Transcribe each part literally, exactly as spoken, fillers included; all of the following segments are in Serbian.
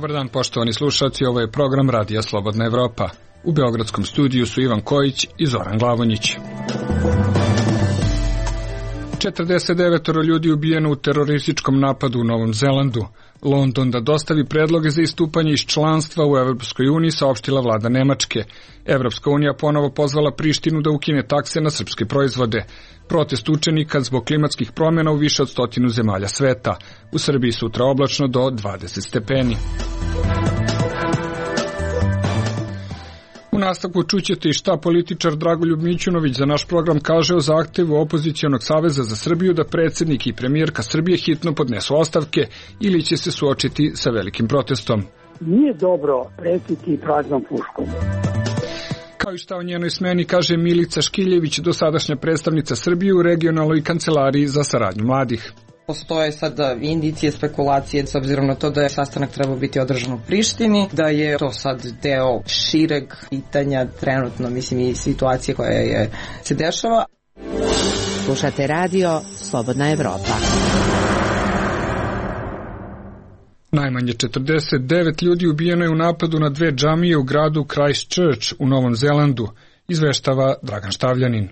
Dobar dan, poštovani slušalci, ovo je program Radija Slobodna Evropa. U beogradskom studiju su Ivan Kojić i Zoran Glavonjić. četrdeset devet ljudi ubijeno u terorističkom napadu u Novom Zelandu. London da dostavi predloge za istupanje iz članstva u Evropskoj uniji, saopštila vlada Nemačke. Evropska unija ponovo pozvala Prištinu da ukine takse na srpske proizvode. Protest učenika zbog klimatskih promjena u više od stotinu zemalja sveta. U Srbiji sutra oblačno do dvadeset stepeni. U nastavku čućete i šta političar Dragoljub Mićunović za naš program kaže o zahtevu Opozicionog saveza za Srbiju da predsjednik i premijerka Srbije hitno podnesu ostavke ili će se suočiti sa velikim protestom. Nije dobro pretiti praznom puškom. Kao i šta o njenoj smeni kaže Milica Škiljević, dosadašnja predstavnica Srbije u regionalnoj kancelariji za saradnju mladih. Postoje sada indicije, spekulacije s obzirom na to da je sastanak trebao biti održan u Prištini, da je to sad deo šireg pitanja trenutno, mislim, i situacije koja je, se dešava. Slušate radio Slobodna Evropa. Najmanje četrdeset devet ljudi ubijeno je u napadu na dve džamije u gradu Christchurch u Novom Zelandu, izveštava Dragan Štavljanin.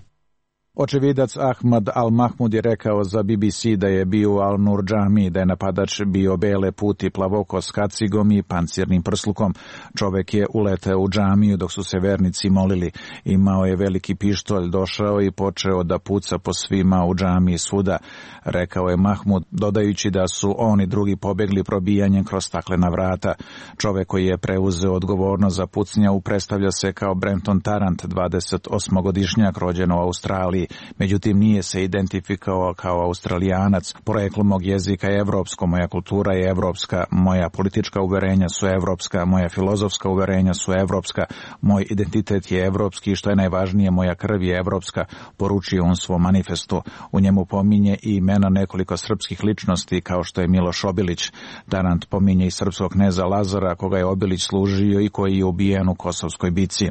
Očevidac Ahmad Al-Mahmud je rekao za B B C da je bio u Al-Nur džamiji, da je napadač bio bele puti, plavoko s kacigom i pancirnim prslukom. Čovek je uleteo u džamiju dok su se vernici molili. Imao je veliki pištolj, došao i počeo da puca po svima u džamiji svuda, rekao je Mahmud, dodajući da su oni drugi pobegli probijanjem kroz staklena vrata. Čovek koji je preuzeo odgovornost za pucnjavu predstavlja se kao Brenton Tarrant, dvadesetosmogodišnjak rođen u Australiji. Međutim, nije se identifikovao kao Australijanac. Poreklo mog jezika je evropsko, moja kultura je evropska, moja politička uverenja su evropska, moja filozofska uverenja su evropska, moj identitet je evropski i što je najvažnije, moja krv je evropska, poručio on svom manifestu. U njemu pominje i imena nekoliko srpskih ličnosti kao što je Miloš Obilić. Tarant pominje i srpskog kneza Lazara koga je Obilić služio i koji je ubijen u Kosovskoj bici.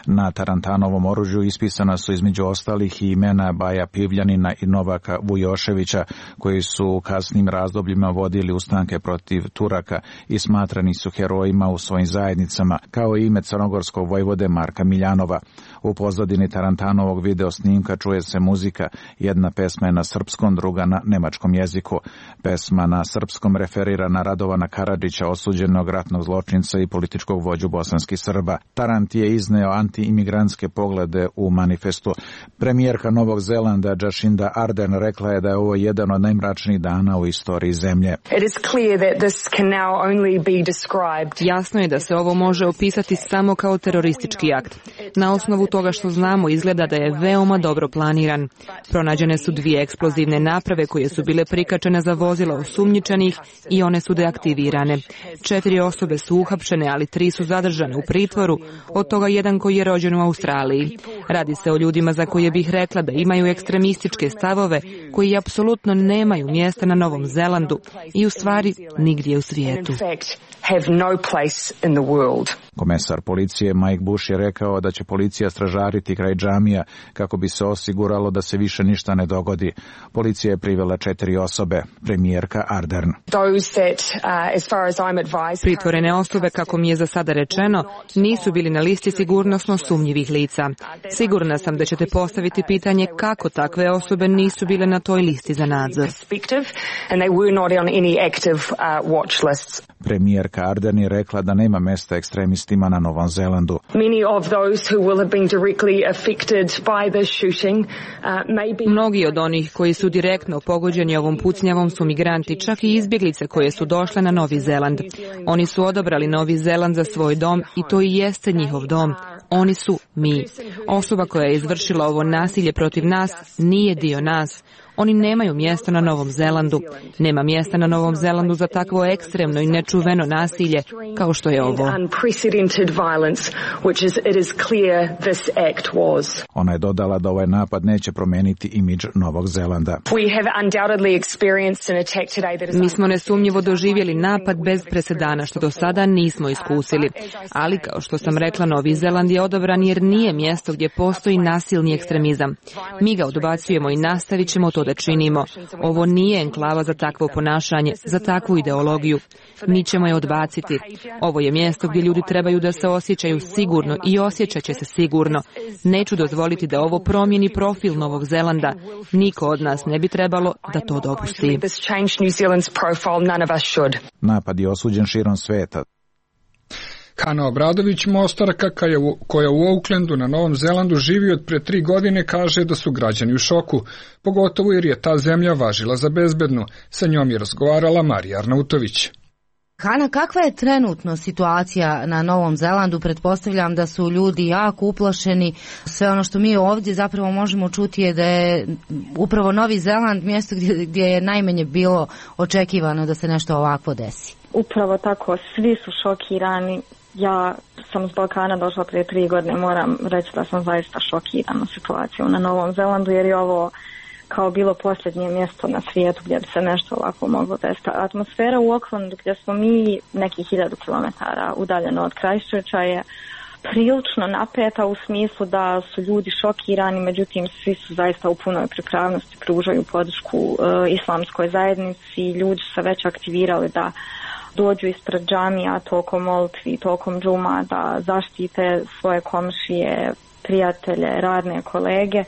Na Tarantanovom oružju ispisana su između ostalih i imena Baja Pivljanina i Novaka Vujoševića, koji su u kasnim razdobljima vodili ustanke protiv Turaka i smatrani su herojima u svojim zajednicama, kao i ime crnogorskog vojvode Marka Miljanova. U pozadini Tarantanovog video snimka čuje se muzika, jedna pesma je na srpskom, druga na nemačkom jeziku. Pesma na srpskom referira na Radovana Karadžića, osuđenog ratnog zločinca i političkog vođu bosanskih Srba. Tarant je izneo antiimigrantske poglede u manifestu. Premijerka Novog Zelanda Jacinda Ardern rekla je da je ovo jedan od najmračnijih dana u istoriji zemlje. Jasno je da se ovo može opisati samo kao teroristički akt. Na osnovu toga što znamo, izgleda da je veoma dobro planiran. Pronađene su dvije eksplozivne naprave koje su bile prikačene za vozila osumnjičenih i one su deaktivirane. Četiri osobe su uhapšene, ali tri su zadržane u pritvoru, od toga jedan koji je rođen u Australiji. Radi se o ljudima za koje bih rekla da imaju ekstremističke stavove koji apsolutno nemaju mjesta na Novom Zelandu i u stvari nigdje u svijetu. Komesar policije Mike Bush je rekao da će policija stražariti kraj džamija kako bi se osiguralo da se više ništa ne dogodi. Policija je privela četiri osobe, premijerka Ardern. Pritvorene osobe, kako mi je za sada rečeno, nisu bili na listi sigurnosno sumnjivih lica. Sigurna sam da ćete postaviti pitanje kako takve osobe nisu bile na toj listi za nadzor. Premijerka Ardern je rekla da nema mesta ekstremistima na Novom Zelandu. Mnogi od onih koji su direktno pogođeni ovom pucnjavom su migranti, čak i izbjeglice koje su došle na Novi Zeland. Oni su odabrali Novi Zeland za svoj dom i to i jeste njihov dom. Oni su mi. Osoba koja je izvršila ovo nasilje protiv nas nije dio nas. Oni nemaju mjesta na Novom Zelandu. Nema mjesta na Novom Zelandu za takvo ekstremno i nečuveno nasilje kao što je ovo. Ona je dodala da ovaj napad neće promijeniti imidž Novog Zelanda. Mi smo nesumnjivo doživjeli napad bez presedana što do sada nismo iskusili. Ali kao što sam rekla, Novi Zeland je odabran jer nije mjesto gdje postoji nasilni ekstremizam. Mi ga odbacujemo i nastavit ćemo to da da činimo. Ovo nije enklava za takvo ponašanje, za takvu ideologiju. Mi ćemo je odbaciti. Ovo je mjesto gdje ljudi trebaju da se osjećaju sigurno i osjećat će se sigurno. Neću dozvoliti da ovo promijeni profil Novog Zelanda. Niko od nas ne bi trebalo da to dopusti. Napad je osuđen širom sveta. Hana Obradović, Mostarka koja u Aucklandu na Novom Zelandu živi od pre tri godine, kaže da su građani u šoku, pogotovo jer je ta zemlja važila za bezbednu. Sa njom je razgovarala Marija Arnautović. Hana, kakva je trenutno situacija na Novom Zelandu? Pretpostavljam da su ljudi jako uplašeni. Sve ono što mi ovdje zapravo možemo čuti je da je upravo Novi Zeland mjesto gdje, gdje je najmanje bilo očekivano da se nešto ovakvo desi. Upravo tako, svi su šokirani. Ja sam s Balkana došla prije tri godine, moram reći da sam zaista šokirana situacijom na Novom Zelandu, jer je ovo kao bilo posljednje mjesto na svijetu gdje bi se nešto ovako moglo desiti. Atmosfera u Aucklandu, gdje smo mi nekih hiljadu kilometara udaljeno od Christchurcha, je prilično napeta u smislu da su ljudi šokirani, međutim svi su zaista u punoj pripravnosti, pružaju podršku e, islamskoj zajednici. Ljudi su se već aktivirali da dođu ispred džamija tokom molitvi, tokom džuma, da zaštite svoje komšije, prijatelje, radne kolege.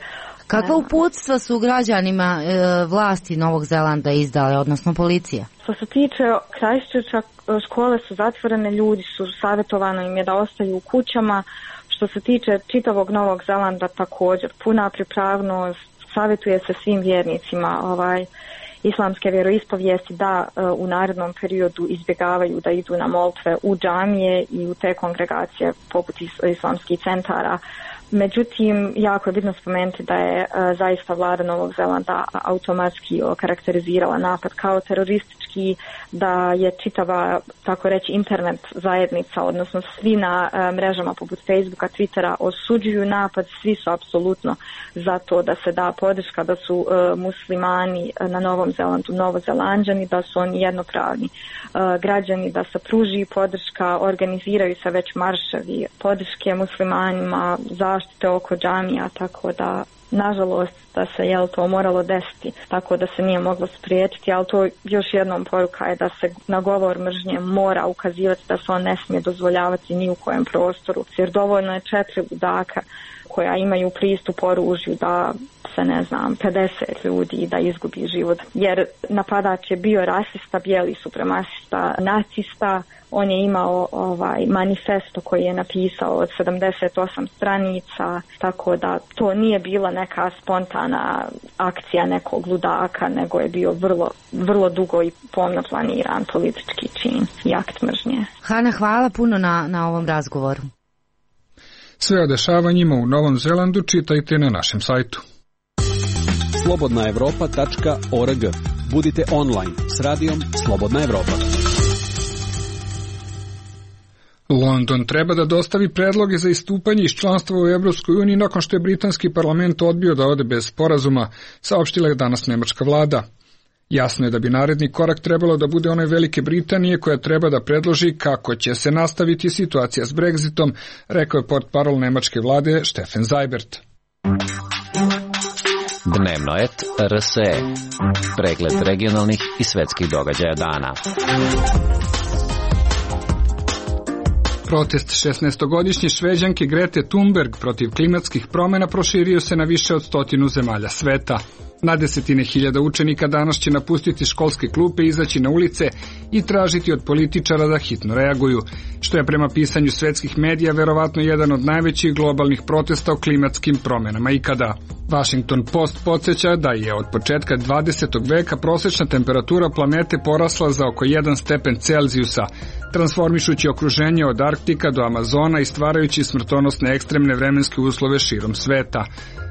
Kakva uputstva su građanima e, vlasti Novog Zelanda izdale, odnosno policija? Što se tiče Christchurcha, škole su zatvorene, ljudi su savjetovano im je da ostaju u kućama. Što se tiče čitavog Novog Zelanda, također puna pripravnost, savjetuje se svim vjernicima ovaj islamske vjeroispovijesti da uh, u narednom periodu izbjegavaju da idu na molitve u džamije i u te kongregacije poput is- islamskih centara. Međutim, jako je bitno spomenuti da je uh, zaista vlada Novog Zelanda automatski okarakterizirala napad kao teroristički, da je čitava, tako reći, internet zajednica, odnosno svi na uh, mrežama poput Facebooka, Twittera osuđuju napad, svi su apsolutno za to da se da podrška, da su uh, muslimani na Novom Zelandu Novozelanđani, da su oni jednopravni uh, građani, da se pruži podrška, organiziraju se već marševi podrške muslimanima, zaštite oko džamija, tako da nažalost da se jel to moralo desiti, tako da se nije moglo spriječiti, ali to još jednom poruka je da se na govor mržnje mora ukazivati, da se on ne smije dozvoljavati ni u kojem prostoru, jer dovoljno je četiri ludaka koja imaju pristup oružju da se, ne znam, pedeset ljudi da izgubi život. Jer napadač je bio rasista, bijeli supremasista, nacista. On je imao ovaj manifesto koji je napisao od sedamdeset osam stranica, tako da to nije bila neka spontana akcija nekog ludaka, nego je bio vrlo, vrlo dugo i pomno planiran politički čin i akt mržnje. Hana, hvala puno na, na ovom razgovoru. Sve o dešavanjima u Novom Zelandu čitajte na našem sajtu. slobodna evropa tačka org. Budite online s radijom Slobodna Evropa. London treba da dostavi predloge za istupanje iz članstva u Evropskoj uniji nakon što je britanski parlament odbio da ode bez sporazuma, saopštila je danas nemačka vlada. Jasno je da bi naredni korak trebalo da bude onaj Velike Britanije koja treba da predloži kako će se nastaviti situacija s Brexitom, rekao je portparol nemačke vlade Steffen Seibert. Dnevno et R S E. Pregled regionalnih i svetskih događaja dana. Protest šesnaestogodišnje Šveđanke Grete Thunberg protiv klimatskih promjena proširio se na više od stotinu zemalja sveta. Na desetine hiljada učenika danas će napustiti školske klupe, izaći na ulice i tražiti od političara da hitno reaguju, što je prema pisanju svetskih medija verovatno jedan od najvećih globalnih protesta o klimatskim promjenama ikada. Washington Post podsjeća da je od početka dvadesetog veka prosječna temperatura planete porasla za oko jedan stepen Celzijusa, transformišući okruženje od Arktika do Amazona i stvarajući smrtonosne ekstremne vremenske uslove širom sveta.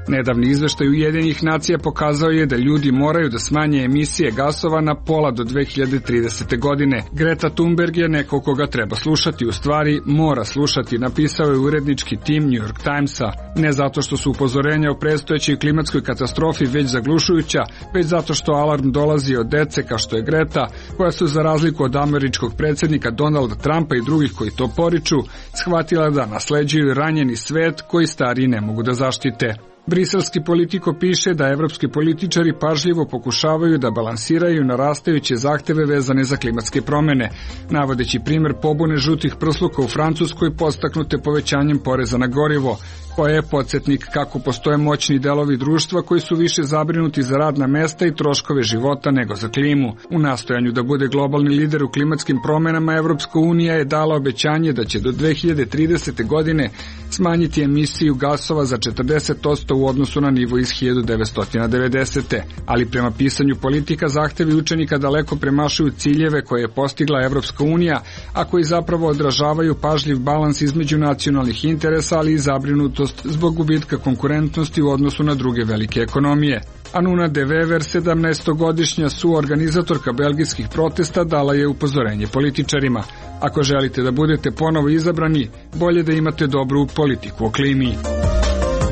Nedavni izveštaj Ujedinjenih nacija pokazao je da ljudi moraju da smanje emisije gasova na pola do dve hiljade tridesete. godine. Greta Thunberg je neko koga treba slušati, u stvari mora slušati, napisao je urednički tim New York Timesa. Ne zato što su upozorenja o predstojećoj klimatskoj katastrofi već zaglušujuća, već zato što alarm dolazi od dece kao što je Greta, koja su za razliku od američkog predsjednika Donalda Trumpa i drugih koji to poriču, shvatila da nasleđuju ranjeni svet koji stariji ne mogu da zaštite. Briselski Politiko piše da evropski političari pažljivo pokušavaju da balansiraju narastajuće zahteve vezane za klimatske promene, navodeći primer pobune žutih prsluka u Francuskoj podstaknute povećanjem poreza na gorivo, koja je podsjetnik kako postoje moćni delovi društva koji su više zabrinuti za radna mesta i troškove života nego za klimu. U nastojanju da bude globalni lider u klimatskim promenama, Evropska unija je dala obećanje da će do dve hiljade tridesete. godine smanjiti emisiju gasova za četrdeset posto u odnosu na nivo iz hiljadu devetsto devedesete. Ali prema pisanju Politika zahtevi učenika daleko premašuju ciljeve koje je postigla Evropska unija, a koji zapravo odražavaju pažljiv balans između nacionalnih interesa, ali i zabrinutost zbog gubitka konkurentnosti u odnosu na druge velike ekonomije. Anuna de Wever, sedamnaestogodišnja suorganizatorka belgijskih protesta, dala je upozorenje političarima. Ako želite da budete ponovo izabrani, bolje da imate dobru politiku o klimi.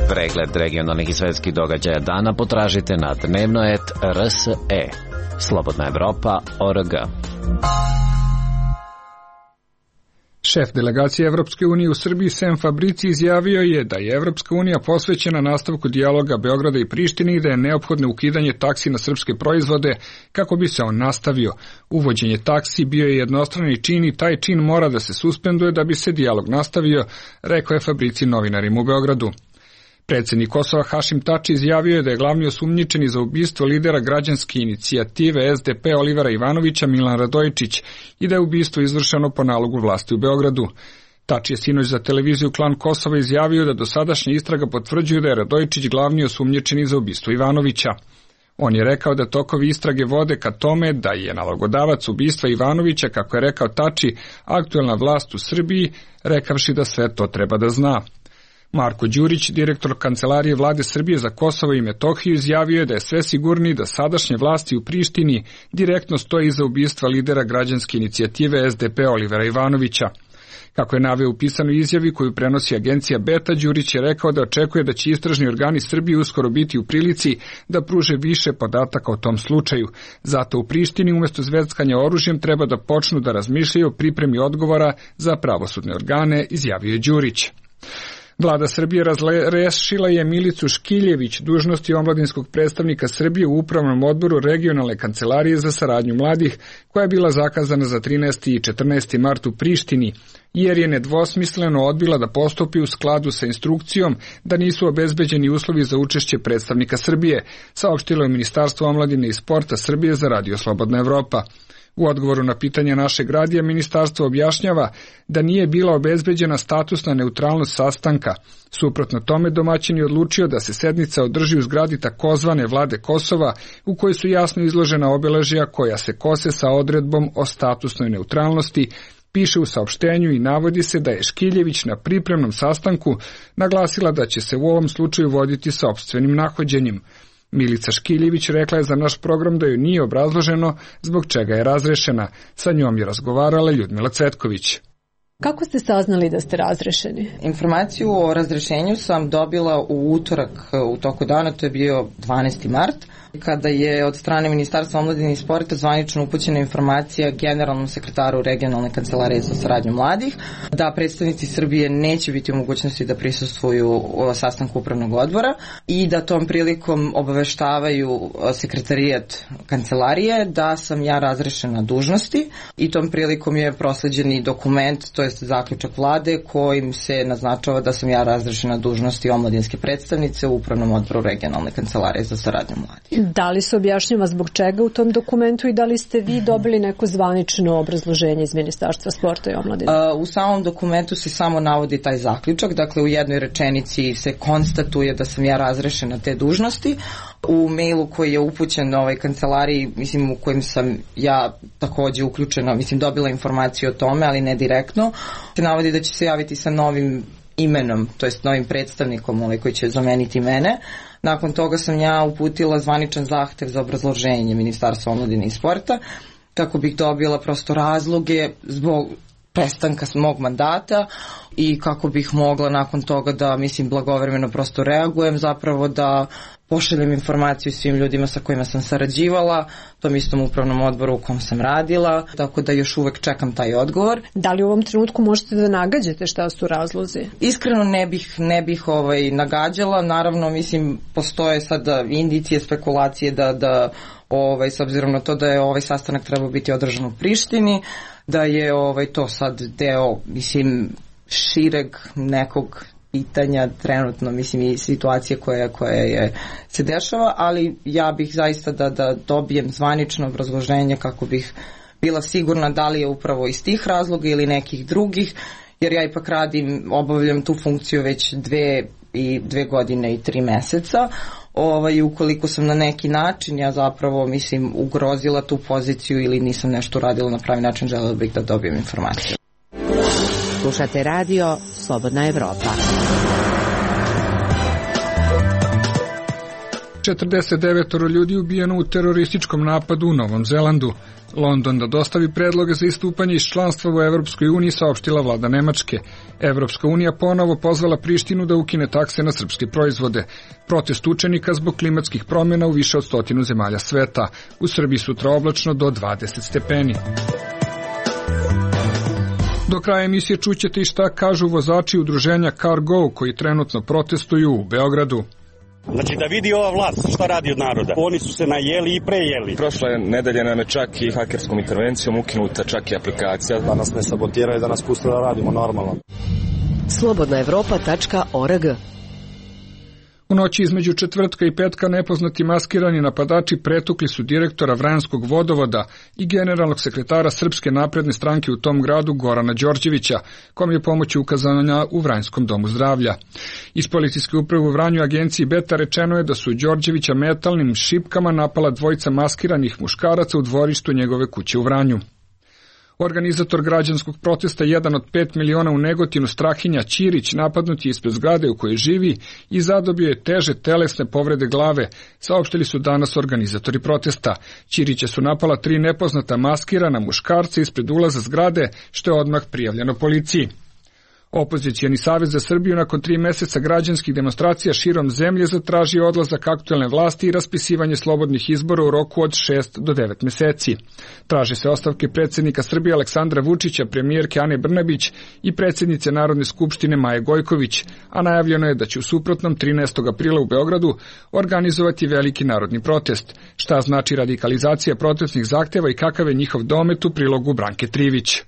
Pregled regionalnih i svetskih događaja dana potražite na dnevnoet R S E. Slobodna Evropa O R G. Šef delegacije Evropske unije u Srbiji Sem Fabrici izjavio je da je Evropska unija posvećena nastavku dijaloga Beograda i Prištine i da je neophodno ukidanje taksi na srpske proizvode kako bi se on nastavio. Uvođenje taksi bio je jednostrani čin i taj čin mora da se suspenduje da bi se dijalog nastavio, rekao je Fabrici novinarima u Beogradu. Predsjednik Kosova Hašim Tači izjavio je da je glavni osumnjičeni za ubistvo lidera građanske inicijative S D P Olivera Ivanovića Milan Radojičić i da je ubistvo izvršeno po nalogu vlasti u Beogradu. Tači je sinoć za televiziju Klan Kosova izjavio da dosadašnja istraga potvrđuju da je Radojičić glavni osumnjičeni za ubistvo Ivanovića. On je rekao da tokovi istrage vode ka tome da je nalogodavac ubistva Ivanovića, kako je rekao Tači, aktuelna vlast u Srbiji, rekavši da sve to treba da zna. Marko Đurić, direktor Kancelarije vlade Srbije za Kosovo i Metohiju, izjavio je da je sve sigurniji da sadašnje vlasti u Prištini direktno stoji iza ubistva lidera građanske inicijative S D P Olivera Ivanovića. Kako je naveo u pisanoj izjavi koju prenosi agencija Beta, Đurić je rekao da očekuje da će istražni organi Srbije uskoro biti u prilici da pruže više podataka o tom slučaju. Zato u Prištini umjesto zveckanja oružjem treba da počnu da razmišljaju o pripremi odgovora za pravosudne organe, izjavio je Đurić. Vlada Srbije razrešila je Milicu Škiljević dužnosti omladinskog predstavnika Srbije u Upravnom odboru Regionalne kancelarije za saradnju mladih, koja je bila zakazana za trinaesti i četrnaesti mart u Prištini, jer je nedvosmisleno odbila da postupi u skladu sa instrukcijom da nisu obezbeđeni uslovi za učešće predstavnika Srbije, saopštilo je Ministarstvo omladine i sporta Srbije za Radio Slobodna Evropa. U odgovoru na pitanje našeg radija, ministarstvo objašnjava da nije bila obezbeđena statusna neutralnost sastanka. Suprotno tome, domaćin je odlučio da se sednica održi u zgradi takozvane vlade Kosova, u kojoj su jasno izložena obeležja koja se kose sa odredbom o statusnoj neutralnosti, piše u saopštenju i navodi se da je Škiljević na pripremnom sastanku naglasila da će se u ovom slučaju voditi sopstvenim nahođenjem. Milica Škiljević rekla je za naš program da joj nije obrazloženo zbog čega je razrešena. Sa njom je razgovarala Ljudmila Cvetković. Kako ste saznali da ste razrešeni? Informaciju o razrešenju sam dobila u utorak u toku dana, to je bio dvanaesti mart, kada je od strane Ministarstva omladine i sporta zvanično upućena informacija generalnom sekretaru Regionalne kancelarije za saradnju mladih da predstavnici Srbije neće biti u mogućnosti da prisustvuju sastanku upravnog odbora i da tom prilikom obaveštavaju sekretarijat kancelarije da sam ja razrešena dužnosti i tom prilikom je prosleđeni dokument, to je zaključak vlade kojim se naznačava da sam ja razrešena dužnosti omladinske predstavnice u upravnom odboru Regionalne kancelarije za saradnju mladih. Da li se objašnjava zbog čega u tom dokumentu i da li ste vi dobili neko zvanično obrazloženje iz Ministarstva sporta i omladine? U samom dokumentu se samo navodi taj zaključak, dakle u jednoj rečenici se konstatuje da sam ja razrešena te dužnosti. U mailu koji je upućen ovoj kancelariji, mislim u kojem sam ja takođe uključena, mislim dobila informaciju o tome, ali ne direktno, se navodi da će se javiti sa novim imenom, to jest novim predstavnikom ovaj koji će zameniti mene. Nakon toga sam ja uputila zvaničan zahtev za obrazloženje Ministarstva omladine i sporta kako bih dobila prosto razloge zbog prestanka mog mandata, i kako bih mogla nakon toga da, mislim, blagovremeno prosto reagujem, zapravo da pošaljem informaciju svim ljudima sa kojima sam sarađivala, tom istom upravnom odboru u kom sam radila, tako da još uvek čekam taj odgovor. Da li u ovom trenutku možete da nagađate šta su razlozi? Iskreno ne bih, ne bih ovaj, nagađala, naravno, mislim, postoje sada indicije, spekulacije da, da ovaj, s obzirom na to da je ovaj sastanak trebao biti održan u Prištini, da je ovaj, to sad deo, mislim, šireg nekog pitanja trenutno, mislim, i situacije koja, koja je, se dešava, ali ja bih zaista da, da dobijem zvanično obrazloženje kako bih bila sigurna da li je upravo iz tih razloga ili nekih drugih, jer ja ipak radim, obavljam tu funkciju već dve i dve godine i tri meseca. Ovaj, ukoliko sam na neki način, ja zapravo, mislim, ugrozila tu poziciju ili nisam nešto uradila na pravi način, želela bih da dobijem informaciju. Slušate radio Slobodna Evropa. četrdeset devet ljudi ubijeno u terorističkom napadu u Novom Zelandu. London da dostavi predloge za istupanje iz članstva u Evropskoj uniji, saopštila vlada Nemačke. Evropska unija ponovo pozvala Prištinu da ukine takse na srpske proizvode. Protest učenika zbog klimatskih promjena u više od stotinu zemalja sveta. U Srbiji sutra oblačno do dvadeset stepeni. Do kraja emisije čućete i šta kažu vozači udruženja CarGo koji trenutno protestuju u Beogradu. Znači da vidi ova vlast šta radi od naroda. Oni su se najeli i prejeli. Prošle nedelje nam je čak i hakerskom intervencijom ukinuta čak i aplikacija. Da nas ne sabotiraju, da nas puste da radimo normalno. slobodna evropa tačka org. U noći između četvrtka i petka nepoznati maskirani napadači pretukli su direktora Vranjskog vodovoda i generalnog sekretara Srpske napredne stranke u tom gradu Gorana Đorđevića, kom je pomoć ukazana u Vranjskom domu zdravlja. Iz policijske uprave u Vranju agenciji Beta rečeno je da su Đorđevića metalnim šipkama napala dvojica maskiranih muškaraca u dvorištu njegove kuće u Vranju. Organizator građanskog protesta, jedan od pet miliona u Negotinu, Strahinja Ćirić, napadnut je ispred zgrade u kojoj živi i zadobio je teže telesne povrede glave, saopštili su danas organizatori protesta. Ćirića su napala tri nepoznata maskirana muškarca ispred ulaza zgrade, što je odmah prijavljeno policiji. Opozicijani savez za Srbiju nakon tri meseca građanskih demonstracija širom zemlje zatražio odlazak aktuelne vlasti i raspisivanje slobodnih izbora u roku od šest do devet meseci. Traže se ostavke predsjednika Srbije Aleksandra Vučića, premijerke Ane Brnabić i predsjednice Narodne skupštine Maje Gojković, a najavljeno je da će u suprotnom trinaestog aprila u Beogradu organizovati veliki narodni protest. Šta znači radikalizacija protestnih zahteva i kakav je njihov domet, u prilogu Branke Trivić.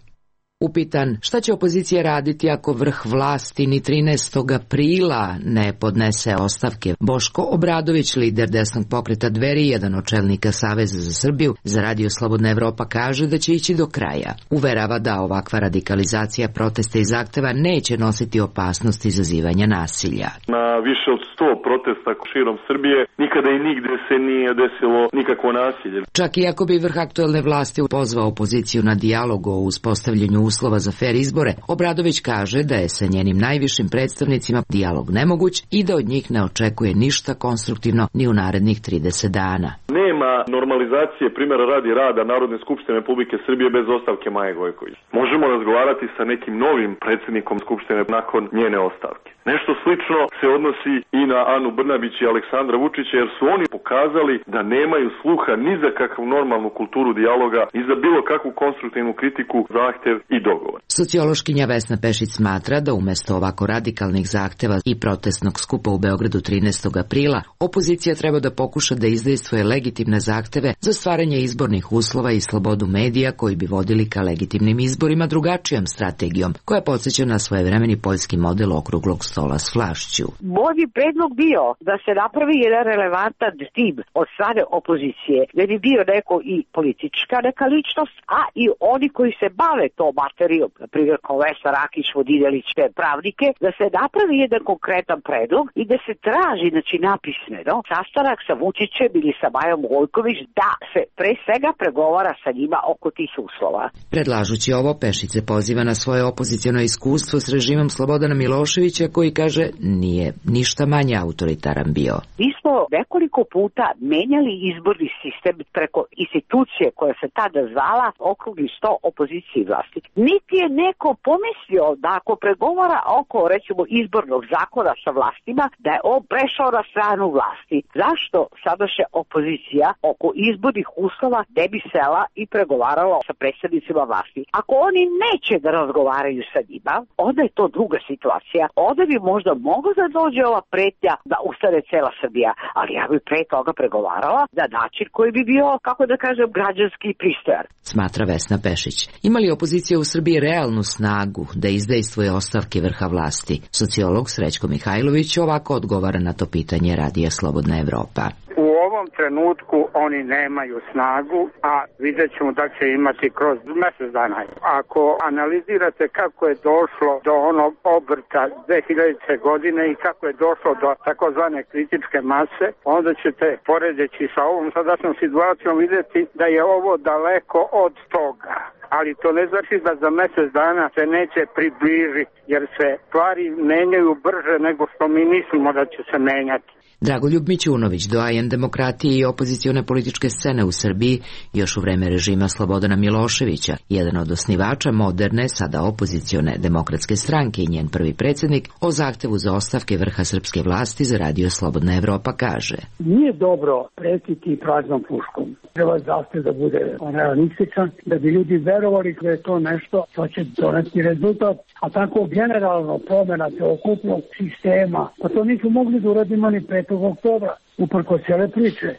Upitan šta će opozicija raditi ako vrh vlasti ni trinaestog aprila ne podnese ostavke, Boško Obradović, lider desnog pokreta Dveri, jedan od čelnika Saveza za Srbiju, za radio Slobodna Evropa kaže da će ići do kraja. Uverava da ovakva radikalizacija protesta i zahteva neće nositi opasnost izazivanja nasilja. Na više od sto protesta širom Srbije nikada i nigde se nije desilo nikakvo nasilje. Čak i ako bi vrh aktuelne vlasti pozvao opoziciju na dijalog o uspostavljanju uslova za fer izbore, Obradović kaže da je sa njenim najvišim predstavnicima dijalog nemoguć i da od njih ne očekuje ništa konstruktivno ni u narednih trideset dana. Nema normalizacije primjera radi rada Narodne skupštine Republike Srbije bez ostavke Maje Gojković. Možemo razgovarati sa nekim novim predsjednikom skupštine nakon njene ostavke. Nešto slično se odnosi i na Anu Brnabić i Aleksandra Vučića, jer su oni pokazali da nemaju sluha ni za kakvu normalnu kulturu dijaloga, ni za bilo kakvu konstruktivnu kritiku, zahtev i dogovor. Sociološkinja Vesna Pešić smatra da umjesto ovako radikalnih zahteva i protestnog skupa u Beogradu trinaestog aprila, opozicija treba da pokuša da izdejstvuje legitimne zahteve za stvaranje izbornih uslova i slobodu medija koji bi vodili ka legitimnim izborima drugačijom strategijom, koja podsjeća na svojevremeni poljski model okruglog stola s vlašću. Moj bi predlog bio da se napravi jedan relevantan tim od strane opozicije, da bi bio neko i politička neka ličnost, a i oni koji se bave to materijom, na primjer kao Vesna Rakić, Vodinelić, te pravnike, da se napravi jedan konkretan predlog i da se traži, znači napismeno, sastanak sa Vučićem ili sa Majom Gojković da se pre svega pregovara sa njima oko tih uslova. Predlažući ovo, Pešić se poziva na svoje opoziciono iskustvo s režimom Slobodana Miloševića, koji kaže nije ništa manje autoritaran bio. Mi smo nekoliko puta menjali izborni sistem preko institucije koja se tada zvala okrugli sto opozicije i vlasti. Niti je neko pomislio da ako pregovara oko, recimo, izbornog zakona sa vlastima, da je on prešao na stranu vlasti. Zašto sadašnja opozicija oko izbornih uslova ne bi sela i pregovarala sa predstavnicima vlasti? Ako oni neće da razgovaraju sa njima, onda je to druga situacija. Onda bi možda mogla da dođe ova pretnja da ustane cela Srbija, ali ja bi pre toga pregovarala na način koji bi bio, kako da kažem, građanski i pristojan. Smatra Vesna Pešić. Ima li opozicija u Srbiji realnu snagu da izdejstvuje ostavke vrha vlasti? Sociolog Srećko Mihajlović ovako odgovara na to pitanje Radija Slobodna Evropa. U ovom trenutku oni nemaju snagu, a vidjet ćemo da će imati kroz mesec dana. Ako analizirate kako je došlo do onog obrta dve hiljadite. godine i kako je došlo do takozvane kritičke mase, onda ćete, poredeći sa ovom sadašnjom situacijom, vidjeti da je ovo daleko od toga. Ali to ne znači da za mesec dana se neće približiti, jer se stvari menjaju brže nego što mi mislimo da će se menjati. Dragoljub Mićunović, doajen demokratije i opozicione političke scene u Srbiji, još u vreme režima Slobodana Miloševića, jedan od osnivača moderne, sada opozicione demokratske stranke i njen prvi predsjednik, o zahtevu za ostavke vrha srpske vlasti za Radio Slobodna Evropa kaže: Nije dobro pretiti praznom puškom. Treba zahtev da bude realističan, da bi ljudi verovali da je to nešto što će doneti rezultat, a tako generalno promjena celokupnog sistema, pa to nisu mogli da uradimo ni petog oktobra, uprko cijele priče.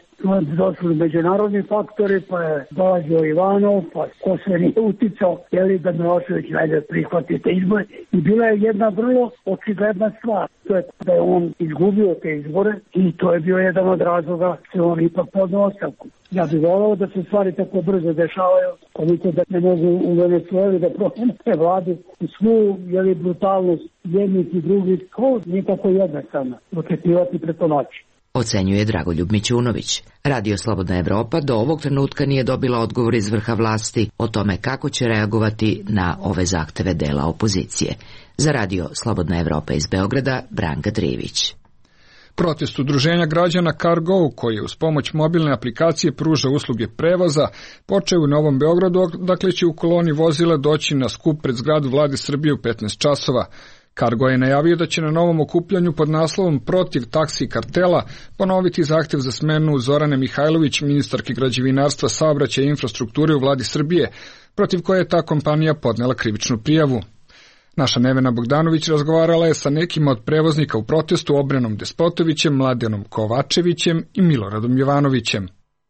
Došli međunarodni faktori, pa je dolazio Ivanov, pa ko se nije uticao, jeli da Milošević najde prihvati te izbore. I bila je jedna vrlo očigledna stvar, to je da je on izgubio te izbore i to je bio jedan od razloga što on ipak podno ostavku. Ja bih volao da se stvari tako brzo dešavaju, koliko da ne mogu u Venezueli da promene vladu i svu jeli, brutalnost jednih i drugih, kao nikako jednostavno, očekivati preko noći. Ocenjuje Dragoljub Mićunović. Radio Slobodna Evropa do ovog trenutka nije dobila odgovor iz vrha vlasti o tome kako će reagovati na ove zahteve dela opozicije. Za Radio Slobodna Evropa iz Beograda, Branka Drivić. Protest udruženja građana Cargo, koji uz pomoć mobilne aplikacije pruža usluge prevoza, počeo u Novom Beogradu, dakle će u koloni vozila doći na skup pred zgradu Vlade Srbije u petnaest časova. Cargo je najavio da će na novom okupljanju pod naslovom Protiv taksi kartela ponoviti zahtev za smenu Zorane Mihajlović, ministarke građevinarstva, saobraćaja i infrastrukture u Vladi Srbije, protiv koje je ta kompanija podnela krivičnu prijavu. Naša Nevena Bogdanović razgovarala je sa nekima od prevoznika u protestu, Obrenom Despotovićem, Mladenom Kovačevićem i Miloradom Jovanovićem.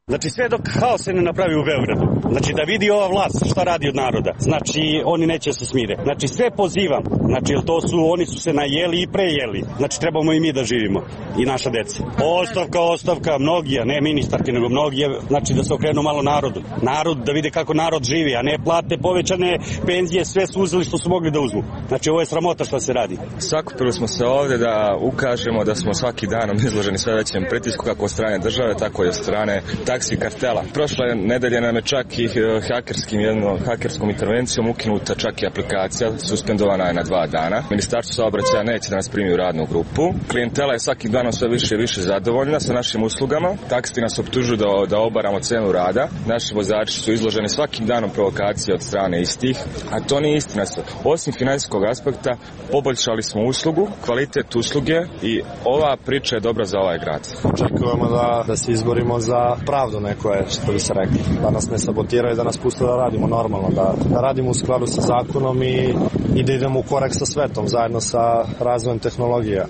Znači sve dok haos se ne napravi u Beogradu, znači da vidi ova vlast šta radi od naroda, znači oni neće se smire. Znači sve pozivam, znači jer to su, oni su se najeli i prejeli, znači trebamo i mi da živimo i naša deca. Ostavka, ostavka, mnogi, a ne ministarke, nego mnogi, znači da se okrenu malo narodu. Narod, da vide kako narod živi, a ne plate, povećane penzije, sve su uzeli što su mogli da uzmu. Znači ovo je sramota šta se radi. Sakupili smo se ovde da ukažemo da smo svaki danom izloženi sve većem pritisku kako od strane države, tako i od strane taksi kartela. Prošle nedelje nam je čak i hakerskim, jednom hakerskom intervencijom ukinuta čak i aplikacija, suspendovana je na dva dana. Ministarstvo saobraćaja neće da nas primi u radnu grupu. Klijentela je svakim danom sve više i više zadovoljna sa našim uslugama. Taksisti nas optužuju da, da obaramo cenu rada. Naši vozači su izloženi svakim danom provokacije od strane istih, a to nije istina. Osim finansijskog aspekta, poboljšali smo uslugu, kvalitet usluge i ova priča je dobra za ovaj grad. Očekujemo da, da se izborimo za pravdu neko je, što bi se rekli. Da nas ne sabotiraju, da nas puste da radimo normalno, da, da radimo u skladu sa zakonom i, i da idemo u korak sa svetom, zajedno sa razvojem tehnologija.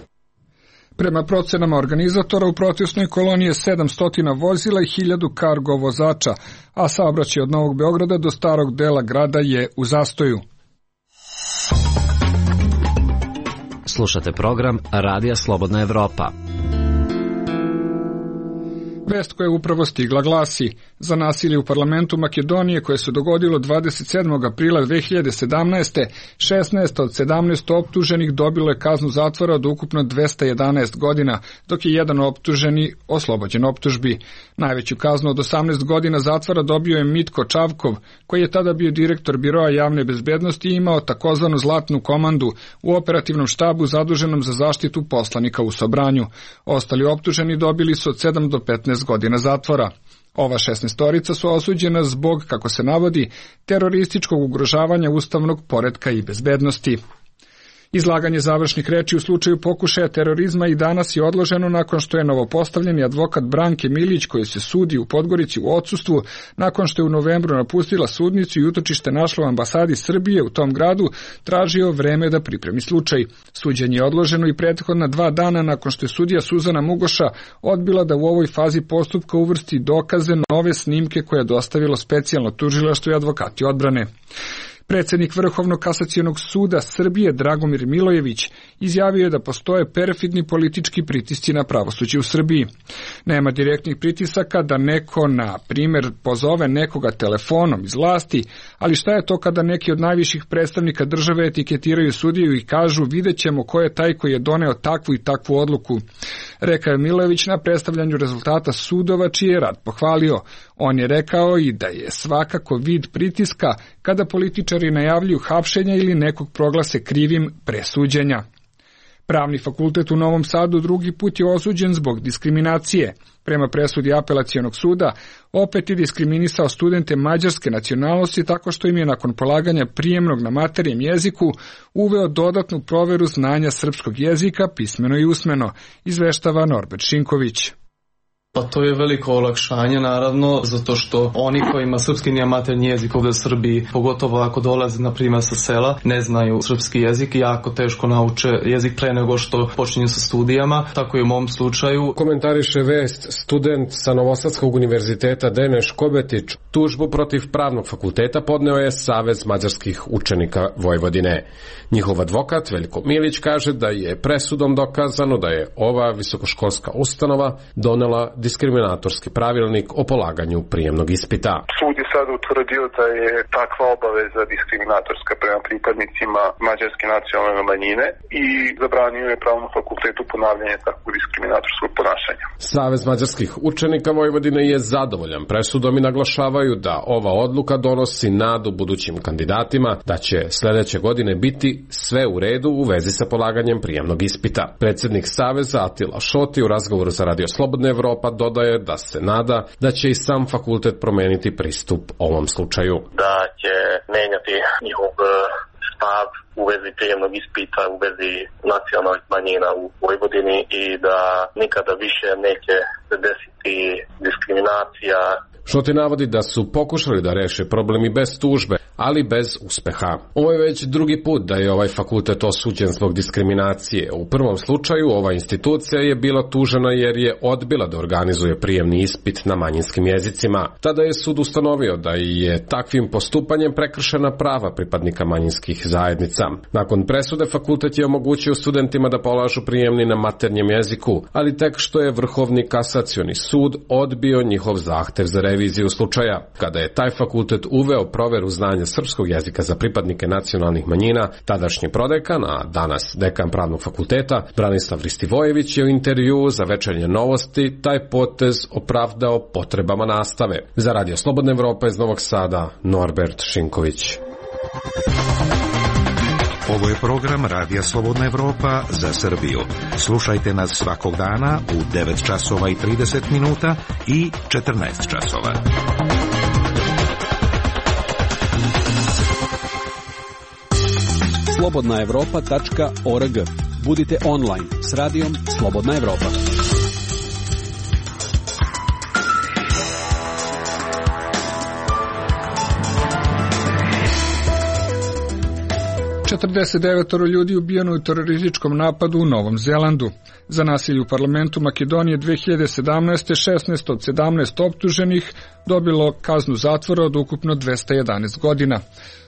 Prema procenama organizatora u protestnoj koloni je sedamsto vozila i hiljadu kargo vozača, a saobraćaj od Novog Beograda do starog dela grada je u zastoju. Slušate program Radija Slobodna Evropa. Vest koja je upravo stigla glasi: za nasilje u parlamentu Makedonije koje se dogodilo dvadeset sedmog aprila dve hiljade sedamnaeste. šesnaest od sedamnaest optuženih dobilo je kaznu zatvora od ukupno dvesta jedanaest godina, dok je jedan optuženi oslobođen optužbi. Najveću kaznu od osamnaest godina zatvora dobio je Mitko Čavkov, koji je tada bio direktor Biroa javne bezbednosti i imao takozvanu zlatnu komandu u operativnom štabu zaduženom za zaštitu poslanika u Sobranju. Ostali optuženi dobili su od sedam do petnaest godina zatvora. Ova šesnaestorica su osuđena zbog, kako se navodi, terorističkog ugrožavanja ustavnog poretka i bezbednosti. Izlaganje završnih reči u slučaju pokušaja terorizma i danas je odloženo nakon što je novopostavljeni advokat Branke Milić, koji se sudi u Podgorici u odsustvu, nakon što je u novembru napustila sudnicu i utočište našla u ambasadi Srbije u tom gradu, tražio vreme da pripremi slučaj. Suđenje je odloženo i prethodna dva dana nakon što je sudija Suzana Mugoša odbila da u ovoj fazi postupka uvrsti dokaze nove snimke koje je dostavilo specijalno tužilaštvo i advokati odbrane. Predsednik Vrhovnog kasacionog suda Srbije Dragomir Milojević izjavio je da postoje perfidni politički pritisci na pravosuđe u Srbiji. Nema direktnih pritisaka da neko, na primjer, pozove nekoga telefonom iz vlasti, ali šta je to kada neki od najviših predstavnika države etiketiraju sudiju i kažu vidjet ćemo ko je taj koji je doneo takvu i takvu odluku. Rekao je Milojević na predstavljanju rezultata sudova čiji je rad pohvalio. On je rekao i da je svakako vid pritiska kada političari najavljuju hapšenja ili nekog proglase krivim pre suđenja. Pravni fakultet u Novom Sadu drugi put je osuđen zbog diskriminacije. Prema presudi apelacionog suda, opet je diskriminisao studente mađarske nacionalnosti tako što im je nakon polaganja prijemnog na maternjem jeziku uveo dodatnu proveru znanja srpskog jezika, pismeno i usmeno, izveštava Norbert Šinković. Pa to je veliko olakšanje, naravno, zato što oni kojima srpski nije maternji jezik ovde u Srbiji, pogotovo ako dolaze, na primjer, sa sela, ne znaju srpski jezik i jako teško nauče jezik pre nego što počinju sa studijama, tako i u mom slučaju. Komentariše vest student sa Novosadskog univerziteta Deneš Kobetić. Tužbu protiv Pravnog fakulteta podneo je Savez mađarskih učenika Vojvodine. Njihov advokat Veljko Milić kaže da je presudom dokazano da je ova visokoškolska ustanova donela diskriminatorski pravilnik o polaganju prijemnog ispita. Sud je sad utvrdio da je takva obaveza diskriminatorska prema pripadnicima mađarske nacionalne manjine i zabranio je Pravnom fakultetu ponavljanje takvog diskriminatorskog ponašanja. Savez mađarskih učenika Vojvodine je zadovoljan presudom i naglašavaju da ova odluka donosi nadu budućim kandidatima da će sledeće godine biti sve u redu u vezi sa polaganjem prijemnog ispita. Predsjednik Saveza Atila Šoti u razgovoru za Radio Slobodna Evropa dodaje da se nada da će i sam fakultet promeniti pristup ovom slučaju. Da će menjati njihov stav u vezi prijemnog ispita, u vezi nacionalnih manjina u Vojvodini i da nikada više neće se desiti diskriminacija. Šoti navodi da su pokušali da reše problem i bez tužbe, ali bez uspeha. Ovo je već drugi put da je ovaj fakultet osuđen zbog diskriminacije. U prvom slučaju ova institucija je bila tužena jer je odbila da organizuje prijemni ispit na manjinskim jezicima. Tada je sud ustanovio da je takvim postupanjem prekršena prava pripadnika manjinskih zajednica. Nakon presude fakultet je omogućio studentima da polažu prijemni na maternjem jeziku, ali tek što je Vrhovni kasacioni sud odbio njihov zahtev za reviziju slučaja. Kada je taj fakultet uveo proveru znanja srpskog jezika za pripadnike nacionalnih manjina, tadašnji prodekan, a danas dekan Pravnog fakulteta, Branislav Ristivojević je u intervjuu za Večernje novosti taj potez opravdao potrebama nastave. Za Radio Slobodna Evropa iz Novog Sada, Norbert Šinković. Ovo je program Radija Slobodna Evropa za Srbiju. Slušajte nas svakog dana u devet časova i trideset minuta i četrnaest časova. slobodna evropa tačka org. Budite online s radijom Slobodna Evropa. četrdeset devet ljudi ubijeno u terorističkom napadu u Novom Zelandu. Za nasilje u parlamentu Makedonije dve hiljade sedamnaeste. šesnaest od sedamnaest optuženih dobilo kaznu zatvora od ukupno dvesta jedanaest godina.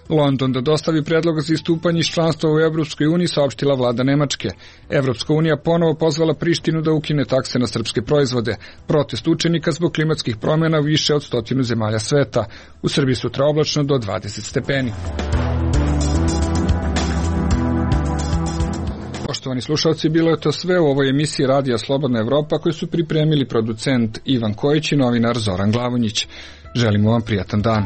London da dostavi predlog za istupanje iz članstva u Evropskoj uniji, saopštila vlada Nemačke. Evropska unija ponovo pozvala Prištinu da ukine takse na srpske proizvode. Protest učenika zbog klimatskih promjena u više od stotinu zemalja sveta. U Srbiji sutra oblačno do dvadeset stepeni. Poštovani slušalci, bilo je to sve u ovoj emisiji Radija Slobodna Evropa koju su pripremili producent Ivan Kojić i novinar Zoran Glavonjić. Želimo vam prijatan dan.